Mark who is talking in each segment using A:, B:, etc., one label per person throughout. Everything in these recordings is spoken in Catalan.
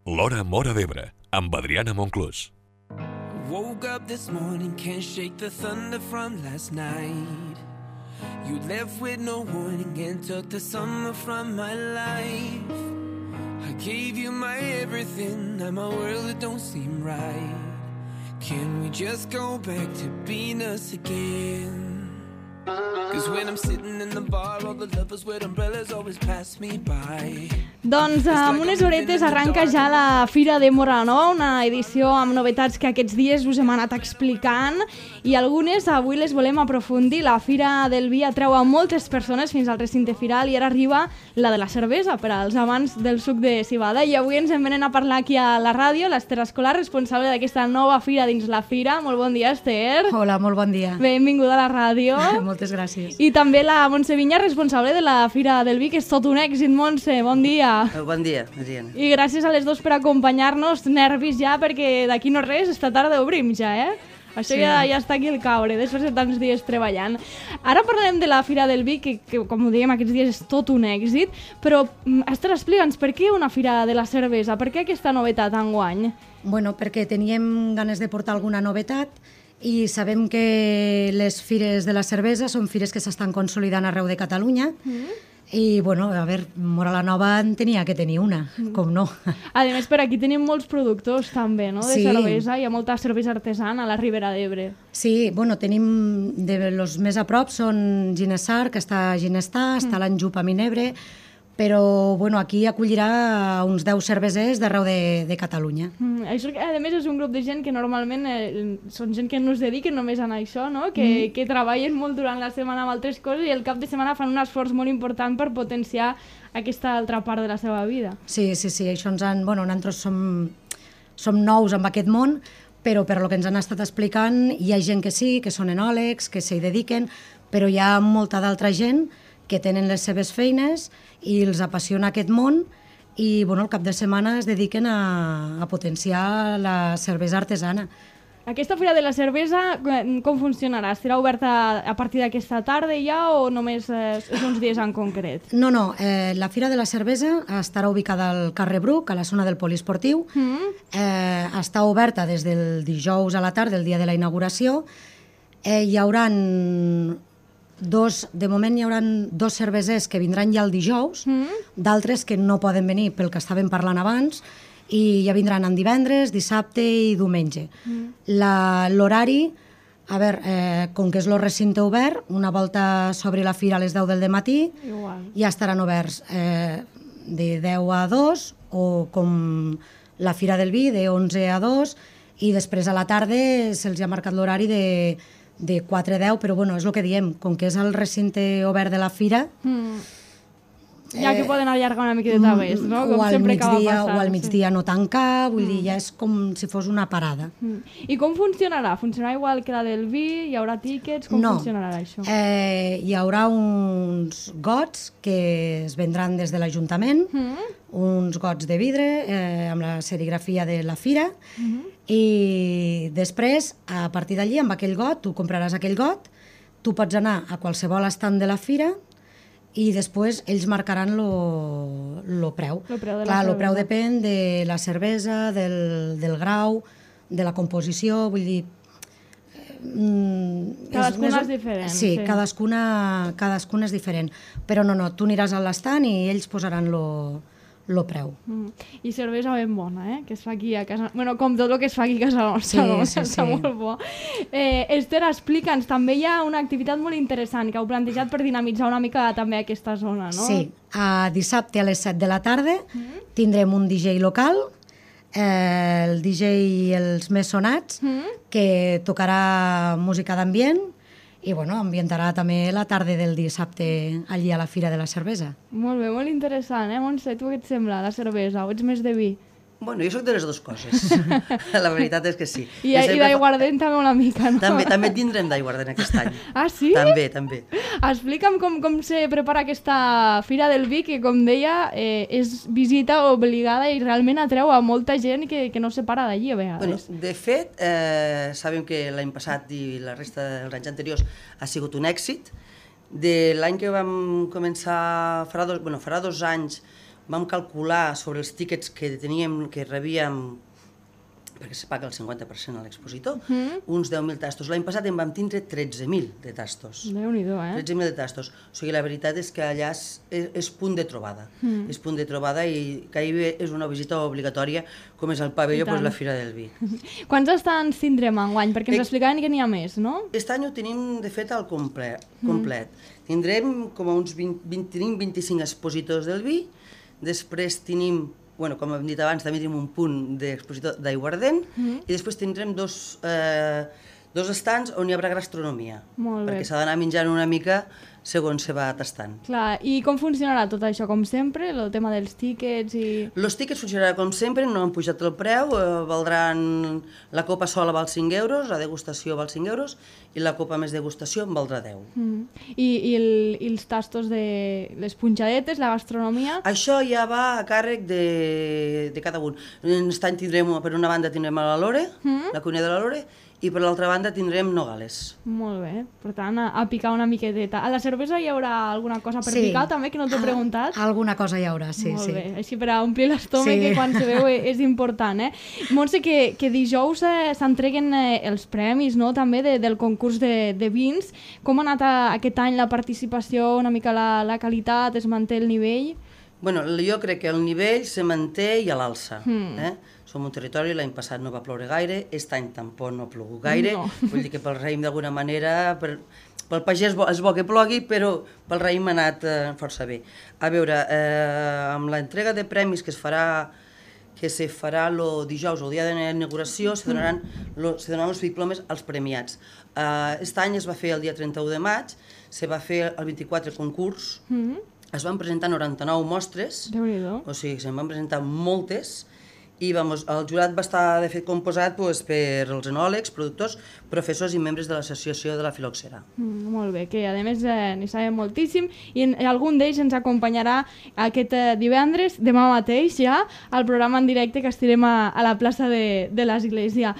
A: L'Hora Móra d'Ebre, amb Adriana Monclús.
B: Woke up this morning, can't shake the thunder from last night. You left with no warning and took the summer from my life. I gave you my everything, now my world it don't seem right. Can we just go back to being us again? Cause when I'm sitting in the bar, all the lovers with umbrellas always pass me by.
C: Doncs amb unes horetes arranca ja la Fira de Móra la Nova, una edició amb novetats que aquests dies us hem anat explicant i algunes avui les volem aprofundir. La Fira del Vi atreu a moltes persones fins al recinte firal i ara arriba la de la cervesa per als amants del suc de civada. I avui ens en venen a parlar aquí a la ràdio l'Ester Escolar, responsable d'aquesta nova fira dins la fira. Molt bon dia, Ester.
D: Hola, molt bon dia.
C: Benvinguda a la ràdio.
D: Moltes gràcies.
C: I també la Montse Viña, responsable de la Fira del Vi, que és tot un èxit. Montse, bon dia.
E: Bon dia, Adriana.
C: I gràcies a les dos per acompanyar-nos. Nervis ja, perquè d'aquí no res, esta tarda obrim ja, Això sí. ja està aquí el caure, després de tants dies treballant. Ara parlarem de la Fira del Vi, que com ho dèiem, aquests dies és tot un èxit, però, Esther, explica'ns, per què una Fira de la Cervesa? Per què aquesta novetat enguany?
D: Bueno, perquè teníem ganes de portar alguna novetat i sabem que les fires de la cervesa són fires que s'estan consolidant arreu de Catalunya. I, bueno, a veure, Móra la Nova en tenia que tenir una, com no.
C: A més, per aquí tenim molts productors també, no?, de
D: Sí.
C: cervesa. Hi ha molta cervesa artesana a la Ribera d'Ebre.
D: Sí, bueno, tenim, de los més a prop són Ginesar, que està a Ginestar, està l'Anjup a Minebre, però, bueno, aquí acollirà uns 10 cervesers d'arreu de Catalunya.
C: Això, a més, és un grup de gent que normalment són gent que no es dediquen només a això, no?, que treballen molt durant la setmana amb altres coses i el cap de setmana fan un esforç molt important per potenciar aquesta altra part de la seva vida.
D: Sí, això ens han... Bueno, nosaltres som nous en aquest món, però per lo que ens han estat explicant hi ha gent que sí, que són enòlegs, que s'hi dediquen, però hi ha molta d'altra gent que tenen les seves feines i els apassiona aquest món i, bueno, el cap de setmana es dediquen a potenciar la cervesa artesana.
C: Aquesta Fira de la Cervesa, com funcionarà? Estarà oberta a partir d'aquesta tarda ja o només és uns dies en concret?
D: No, la Fira de la Cervesa estarà ubicada al carrer Bruc, a la zona del poliesportiu. Està oberta des del dijous a la tarda, el dia de la inauguració. Hi haurà de moment hi haurà 2 cervesers que vindran ja el dijous, d'altres que no poden venir pel que estàvem parlant abans, i ja vindran en divendres, dissabte i diumenge. L'horari, a veure, com que és el recinte obert, una volta s'obri la fira a les 10 del matí, ja estaran oberts de 10 a 2, o com la Fira del Vi, de 11 a 2, i després a la tarda se'ls ha marcat l'horari de 4 a 10, però bueno, és el que diem, com que és el recinte obert de la fira...
C: Ja que poden allargar una miqueta més, no? Com sempre acaba passant.
D: O al migdia no tancar, vull dir, ja és com si fos una parada.
C: I com funcionarà? Funcionarà igual que la del vi? Hi haurà tíquets? Com funcionarà això?
D: Hi haurà uns gots que es vendran des de l'Ajuntament, uns gots de vidre amb la serigrafia de la fira, i després, a partir d'allí, amb aquell got, tu compraràs aquell got, tu pots anar a qualsevol estand de la fira i després ells marcaran el preu. El preu depèn de la cervesa, del grau, de la composició, vull dir...
C: Cadascuna és diferent.
D: Sí, cadascuna és diferent. Però no, tu aniràs a l'estand i ells posaran el preu.
C: I cervesa ben bona, que es fa aquí a casa... Bueno, com tot el que es fa aquí a casa nostra, està molt bo. Ester, explica'ns, també hi ha una activitat molt interessant que heu plantejat per dinamitzar una mica també aquesta zona, no?
D: Sí, dissabte a les 7 de la tarda tindrem un DJ local, el DJ Els Més Sonats, que tocarà música d'ambient i bueno, ambientarà també la tarda del dissabte allí a la Fira de la Cervesa.
C: Molt bé, molt interessant, Montse? Tu què et sembla, la cervesa? O ets més de vi?
E: Bueno, jo soc de les dues coses. La veritat és que sí.
C: I d'aiguardent també una mica, no?
E: També tindrem d'aiguardent aquest any.
C: Ah, sí?
E: També.
C: Explica'm com se prepara aquesta Fira del Vi, que, com deia, és visita obligada i realment atreu a molta gent que no se para d'allí a vegades.
E: Bueno, de fet, sabem que l'any passat i la resta dels anys anteriors ha sigut un èxit. De l'any que vam començar, farà 2 anys, vam calcular sobre els tíquets que teníem, que rebíem, perquè se paga el 50% a l'expositor, uns 10.000 tastos. L'any passat en vam tindre 13.000 de tastos.
C: Déu-n'hi-do,
E: 13.000 de tastos. O sigui, la veritat és que allà és punt de trobada. És punt de trobada i gairebé és una visita obligatòria, com és el pavelló, doncs la Fira del Vi.
C: Quants estants tindrem enguany? Perquè ens explicaven que n'hi ha més, no?
E: Aquest any ho tenim, de fet, al complet. Tindrem com a uns 25 expositors del vi, després tenim, com hem dit abans, també tenim un punt d'expositor d'aiguardent i després tindrem dos estants on hi haurà gastronomia, perquè s'ha d'anar menjant una mica segons se va tastant.
C: Clar, i com funcionarà tot això? Com sempre, el tema dels tíquets i...
E: Els tíquets funcionaran com sempre, no han pujat el preu, valdran... La copa sola val 5 euros, la degustació val 5 euros i la copa més degustació en valdrà 10.
C: I els tastos de les punxadetes, la gastronomia...
E: Això ja va a càrrec de cada un. Aquest any tindrem, per una banda tindrem a la Lore, la cuina de la Lore, i per l'altra banda tindrem Nogales.
C: Molt bé, per tant, a picar una miqueteta. A la cervesa hi haurà alguna cosa per picar també, que no t'he preguntat?
D: Alguna cosa hi haurà, sí.
C: Molt bé, així per a omplir l'estómac, que quan se veu és important. Montse, que dijous s'entreguen els premis, no?, també del concurs de vins. Com ha anat aquest any la participació, una mica la qualitat, es manté el nivell?
E: Bueno, jo crec que el nivell se manté i a l'alça. Som un territori, l'any passat no va ploure gaire, aquest any tampoc no ha plogut gaire, vull dir que pel raïm d'alguna manera, pel pagès és bo que plogui, però pel raïm ha anat força bé. A veure, amb l'entrega de premis que se farà el dijous, el dia de l'inauguració, se donaran els diplomes als premiats. Aquest any es va fer el dia 31 de maig, se va fer el 24 concurs, es van presentar 99 mostres, o sigui, se'n van presentar moltes, i el jurat va estar, de fet, composat per els enòlegs, productors, professors i membres de l'associació de la filoxera.
C: Molt bé, que a més n'hi sabem moltíssim, i algun d'ells ens acompanyarà aquest divendres, demà mateix ja, al programa en directe que estirem a la plaça de l'Església.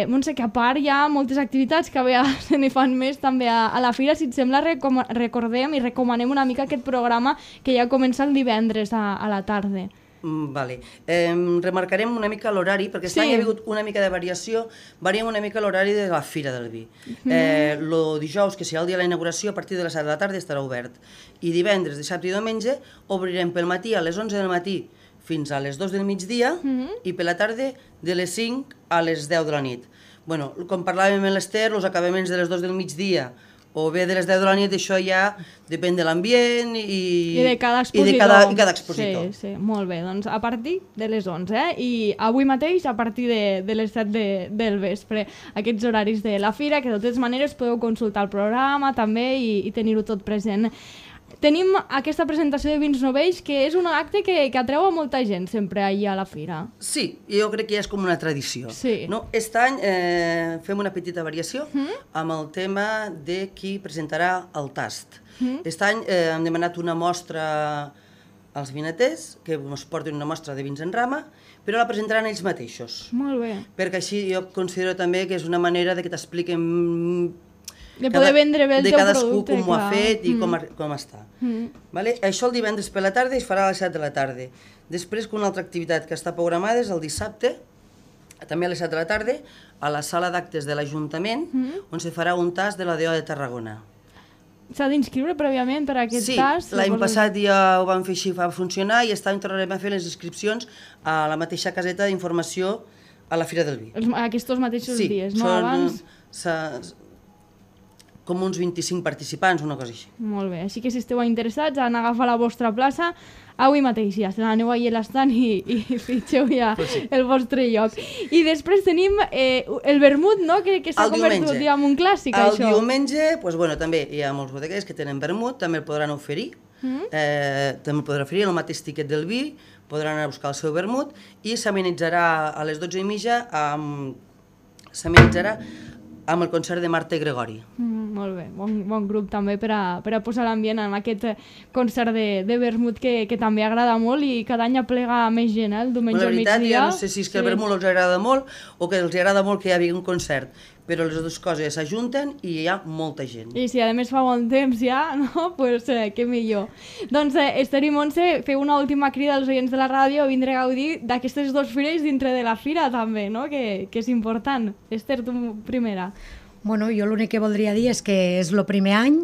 C: Montse, que a part hi ha moltes activitats que a vegades se n'hi fan més també a la fira. Si et sembla, recordem i recomanem una mica aquest programa que ja comença el divendres a la tarda.
E: Vale. Remarcarem una mica l'horari, perquè aquest any hi ha hagut una mica de variació, variem una mica l'horari de la Fira del Vi. El dijous, que serà el dia de la inauguració, a partir de les 7 de la tarda estarà obert. I divendres, dissabte i diumenge obrirem pel matí a les 11 del matí fins a les 2 del migdia i per la tarda de les 5 a les 10 de la nit. Bueno, com parlàvem amb l'Ester, els acabaments de les 2 del migdia o bé de les 10 de la nit, això ja depèn de l'ambient i
C: de cada
E: expositor.
C: Sí, molt bé, doncs a partir de les 11, i avui mateix a partir de les 7 del vespre, aquests horaris de la fira, que de totes maneres podeu consultar el programa també i tenir-ho tot present. Tenim aquesta presentació de vins novells, que és un acte que atreu a molta gent sempre allà a la fira.
E: Sí, jo crec que ja és com una tradició. Aquest any fem una petita variació amb el tema de qui presentarà el tast. Aquest any hem demanat una mostra als vinaters, que ens portin una mostra de vins en rama, però la presentaran ells mateixos.
C: Molt bé.
E: Perquè així jo considero també que és una manera de que t'expliquem
C: de poder vendre bé el teu producte.
E: De cadascú com ho ha fet i com està. Això el divendres per la tarda es farà a les 7 de la tarda. Després, una altra activitat que està programada és el dissabte, també a les 7 de la tarda, a la sala d'actes de l'Ajuntament, on se farà un tast de la DO de Tarragona.
C: S'ha d'inscriure prèviament per a aquest tast?
E: Sí, l'any passat ja ho vam fer així, va funcionar, i aquest any tornarem a fer les inscripcions a la mateixa caseta d'informació a la Fira del Vi.
C: Aquests mateixos dies, no? Abans...
E: com uns 25 participants, una cosa així.
C: Molt bé, així que si esteu interessats en agafar la vostra plaça, avui mateix ja, aneu allà a l'estant i fitxeu ja el vostre lloc. I després tenim el vermut, no?, que s'ha convertit ja en un clàssic, això.
E: El diumenge, també hi ha molts bodeguers que tenen vermut, també el podran oferir, també el podran oferir el mateix tiquet del vi, podran anar a buscar el seu vermut, i s'amenitzarà a les 12:30 amb el concert de Marta i Gregori.
C: Molt bé, bon grup també per a posar l'ambient en aquest concert de vermut que també agrada molt i cada any aplega més gent, el diumenge
E: La
C: al
E: veritat,
C: migdia.
E: ja no sé si és que el vermut els agrada molt o que els agrada molt que hi hagi un concert, però les dues coses s'ajunten i hi ha molta gent.
C: I si a més fa bon temps ja, no? Pues què millor. Doncs Esther i Montse, feu una última crida als oients de la ràdio a vindre a gaudir d'aquestes dues fires dintre de la fira també, no? Que és important. Esther, tu primera.
D: Bueno, jo l'únic que voldria dir és que és el primer any,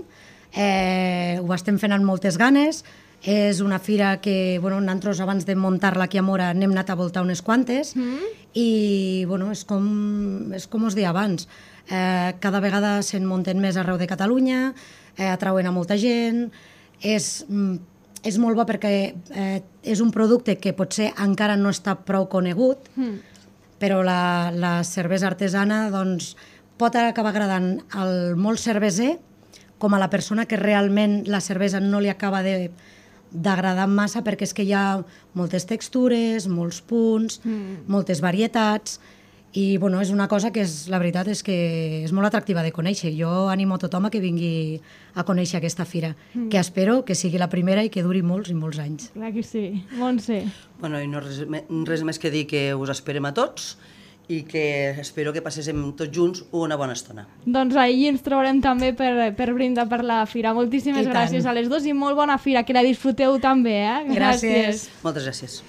D: ho estem fent amb moltes ganes, és una fira que, bueno, nosaltres abans de muntar-la aquí a Móra n'hem anat a voltar unes quantes i, bueno, és com us deia abans, cada vegada se'n munten més arreu de Catalunya, atrauen a molta gent, és molt bo perquè és un producte que potser encara no està prou conegut, però la cervesa artesana doncs, pot acabar agradant al molt cerveser com a la persona que realment la cervesa no li acaba d'agradar massa perquè és que hi ha moltes textures, molts punts, moltes varietats i bueno, és una cosa que la veritat és que és molt atractiva de conèixer. Jo animo a tothom a que vingui a conèixer aquesta fira, que espero que sigui la primera i que duri molts i molts anys.
C: Clar que sí. Montse.
E: Bueno, i no res més que dir que us esperem a tots i que espero que passéssim tots junts una bona estona.
C: Doncs ahir ens trobarem també per brindar per la fira. Moltíssimes gràcies a les dues i molt bona fira, que la disfruteu també, eh?
D: Gràcies.
E: Moltes gràcies.